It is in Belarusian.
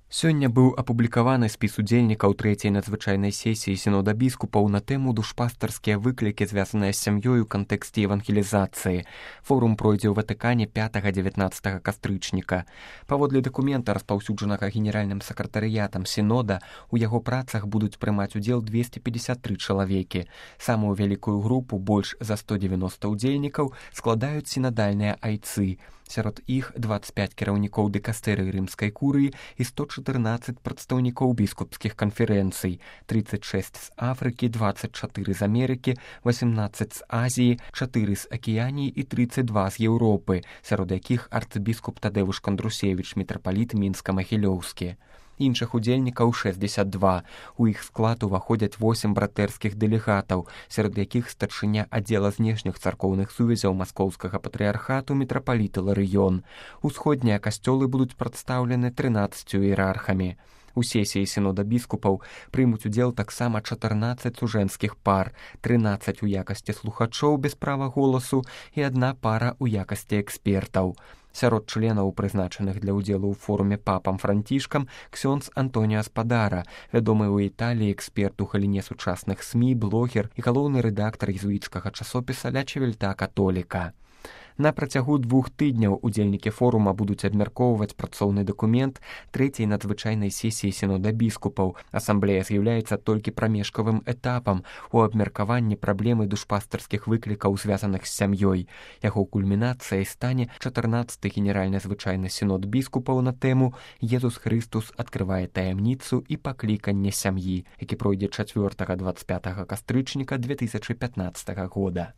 Сёння быў апублікаваны спіс удзельнікаў трэцяй надзвычайнай сесіі сінода біскупаў на тэму душпастарскія выклікі, звязаныя з сям'ёй у кантэксце евангелізацыі. Форум пройдзе ў Ватыкане 5-19 кастрычніка. Паводле дакумента, распаўсюджанага генеральным сакратарыятам сінода, у яго працах будуць прымаць удзел 253 чалавекі. Самую вялікую групу, больш за 190 удзельнікаў, складаюць сінадальныя айцы. Сярод іх 25 кіраўнікоў дыкастэрыі рымскай курыі і 114 прадстаўнікоў біскупскіх канферэнцый, 36 з Афрыкі, 24 з Амерыкі, 18 з Азіі, 4 з Акіяніі і 32 з Еўропы, сярод якіх арцыбіскуп Тадэвуш Кандрусевіч, мітрапаліт Мінска-Магілёўскі. Іншых удзельнікаў 62. У іх склад уваходзяць 8 братэрскіх дэлегатаў, сярод якіх старшыня аддзела знешніх царкоўных сувязяў маскоўскага патрыархату мітрапаліт Іларыён. Усходнія касцёлы будуць прадстаўлены 13 іерархамі. У сесіі сінода біскупаў прымуць удзел таксама 14 сужэнскіх пар, 13 у якасці слухачоў без права голасу і 1 пара у якасці экспертаў. Сярод членаў, прызначаных для ўдзелу ў форуме папам Францішкам, ксёндз Антоніа Спадара, вядомы ў Італіі эксперт у галіне сучасных СМІ, блогер і галоўны рэдактар езуіцкага часопіса «Ля Чевельта Католіка». На працягу 2 тыдняў удзельнікі форума будуць абмяркоўваць працоўны дакумент трэцяй надзвычайнай сесіі сінода біскупаў. Асамблея з'яўляецца толькі прамежкавым этапам у абмеркаванні праблемы душпастарскіх выклікаў, звязаных з сям'ёй. Яго кульмінацыяй стане 14-й генеральны звычайны сінод біскупаў на тэму «Езус Хрыстус адкрывае таямніцу і пакліканне сям'і», які пройдзе 4-25 кастрычніка 2015 года.